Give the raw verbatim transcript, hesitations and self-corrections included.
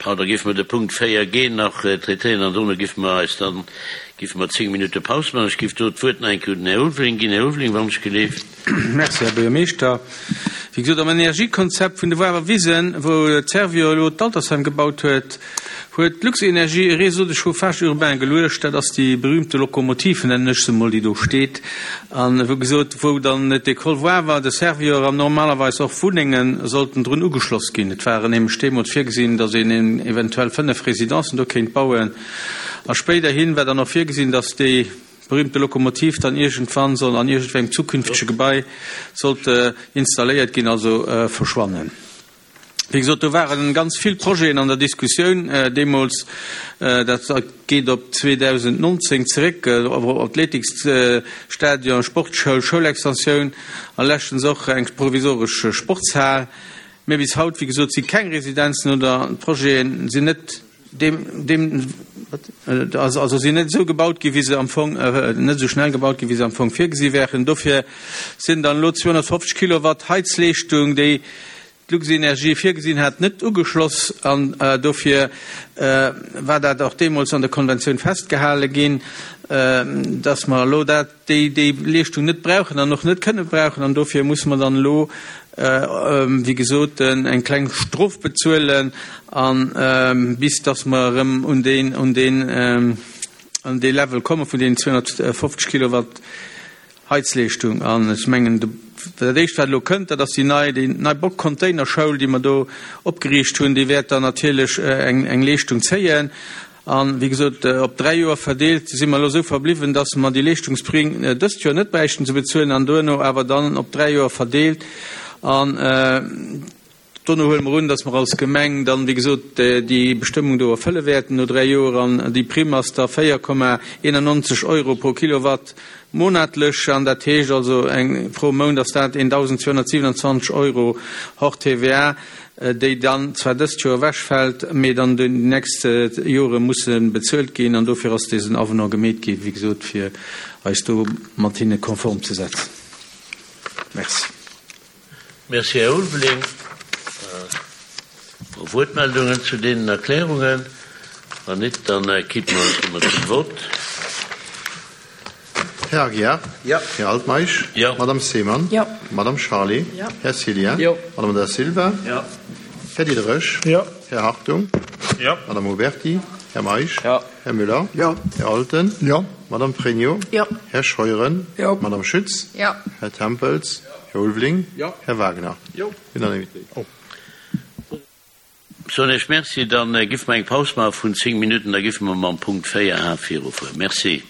Pardon, da géife mer de Punkt véier G nach traitéieren an dono géife mer eis dann, géife mer zéng Minutte Paus maachen. Ech géif do d'Wuert nach eng Kéier un den Här Ulveling ginn. Här Ulveling, wann ech geleeft. Merci, Här Buergermeeschter. Wéi gesot, am Energiekonzept vun de Woarer Wisen, wou d'Servio elo d'Altersheim gebaut huet, huet d'Luxenergie e Réseau de chauffage urbain geluecht. Dat ass déi berühmte Lokomotiv, nennen ech se emol, déi do steet. An wou gesot, wou dann d'École Woawer, de Servior an normalerweis och Wunnenge sollten drun ugeschloss ginn. Et waren nämlech deemools virgesinn, datt een eventuell fënnef Residencen do kéint bauen. A spéiderhin war dann och virgesinn, datt déi berühmte Lokomotiv dann iergendwann soll an iergendwengem zukünftege Gebai sollt installéiert ginn, also verschwannen. Wéi gesot, do ware ganz vill Projeten an der Diskussioun deemools. Dat geet op zweedausendnonzéng zeréck, Athletiksstadion, Sportschoul, Schoulextensioun a leschtens och eng provisoresch Sportshal. Mä bis haut, wéi gesot, si keng Residenzen oder d'Projete sinn net deem, deem, also sinn net esou gebaut ginn, wéi se am Fong, net esou schnell gebaut ginn, wéi se am Fong virgesi wären. Dofir sinn dann elo zweehonnertfofzeg Kilowatt Heizleeschtung, déi d'Luxenergie virgesinn hat, net ugeschloss an dofir war dat och deemools an der Konventioun festgehale ginn, dass mer elo dat, déi, déi Leeschtung net brauchen an och net kënne brauchen an dofir musse mer dann elo, wéi gesot, eng kleng Strof bezuelen a bis dass mer erëm un deen, un deen, an dee Level komme vun deenen zweehonnertfofzeg Kilowatt Heizleeschtung. An ech mengen, dat Éischt, wat elo kënnt, dat ass déi nei, déi nei Bock-Containerschoul, déi mer do opgeriicht hunn. Déi wäert dann natierlech eng, eng Leeschtung zéien. An, wéi gesot, op dräi Joer verdeelt si mer elo esou verbliwwen, dass mer déi Leeschtungsprime dëst Joer net bräichten ze bezuelen an duerno awer dann op dräi Joer verdeelt. An dono huele mer un, dass mer als Gemeng dann, wéi gesot, déi Bestëmmung do erfëlle wäerten no dräi Joer. An déi Primm ass da véier Komma eenannonzeg Euro pro Kilowatt monatlech. An dat heescht also eng, pro Mount ass dat eentausendzweehonnertsiwenundzwanzeg Euro hors T V A, déi dann zwar dëst Joer ewechfält, mee dann déi nächst Jore musse bezuelt ginn. An dofir ass desen Avenant gemeet ginn, wéi gesot, fir eis do mat hinne konform ze setzen. Merci. Merci, Här Ulveling. Wuertmeldungen zu deenen Erklärungen? Wann net, dann kippe mer zum Vott. Här Aguiar? Jo. Här Altmeisch? Jo. Madame Seemann? Jo. Madame Charlé? Jo. Här Cillien? Jo. Madame Da Silva? Jo. Här Diderich? Jo. Här Hartung? Jo. Madame Oberti? Här Meisch? Jo. Här Müller? Jo. Här Alten? Jo. Madame Pregno? Jo. Här Scheuren? Jo. Madame Schütz? Jo. Här Tempels? Här Ulveling? Jo. Här Wagner? Jo. Unanimitéit. Oh. Soen ech Merci, dann giff mer eng Paus maache vun zéng Minutten, da giffe mer mam Punkt véier H virufueren. Merci.